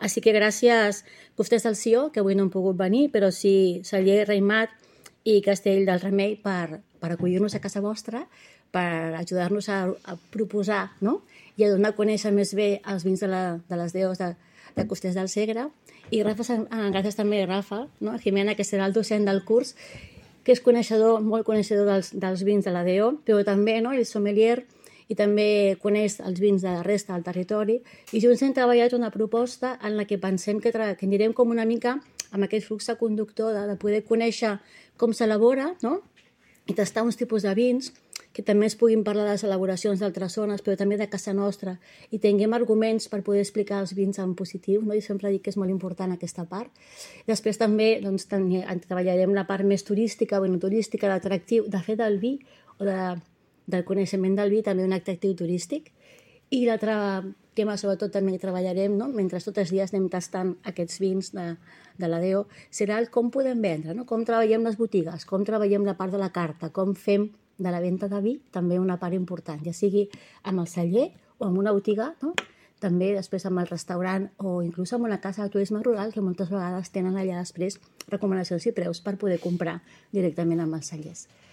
Així que gràcies Costers del Sió, que avui no han pogut venir, però sí Celler, Raïmat i Castell del Remei per acollir-nos a casa vostra, per ajudar-nos a proposar, no? I a donar a conèixer més bé els vins de les deus de Costers del Segre. I gràcies també a Rafa, no? A Jimena, que serà el docent del curs, que és coneixedor, molt coneixedor dels vins de la DO, però també, no, el sommelier, i també coneix els vins de la resta del territori, i junts hem treballat una proposta en la que pensem que anirem com una mica amb aquest flux conductor de poder conèixer com s'elabora, no? I tastar uns tipus de vins, que també es puguin parlar de les elaboracions d'altres zones, però també de casa nostra, i tinguem arguments per poder explicar els vins en positiu, no? I sempre dic que és molt important aquesta part. Després també doncs, treballarem la part més turística o no turística, l'atractiu, de fer del vi o del coneixement del vi també un atractiu turístic. I l'altre tema, sobretot, també treballarem, no? Mentre tots els dies anem tastant aquests vins de la DO, serà el com podem vendre, no? Com treballem les botigues, com treballem la part de la carta, com fem de la venda de vi, també una part important, ja sigui amb el celler o amb una botiga, no? També després amb el restaurant o inclús amb una casa de turisme rural que moltes vegades tenen allà després recomanacions i preus per poder comprar directament amb els cellers.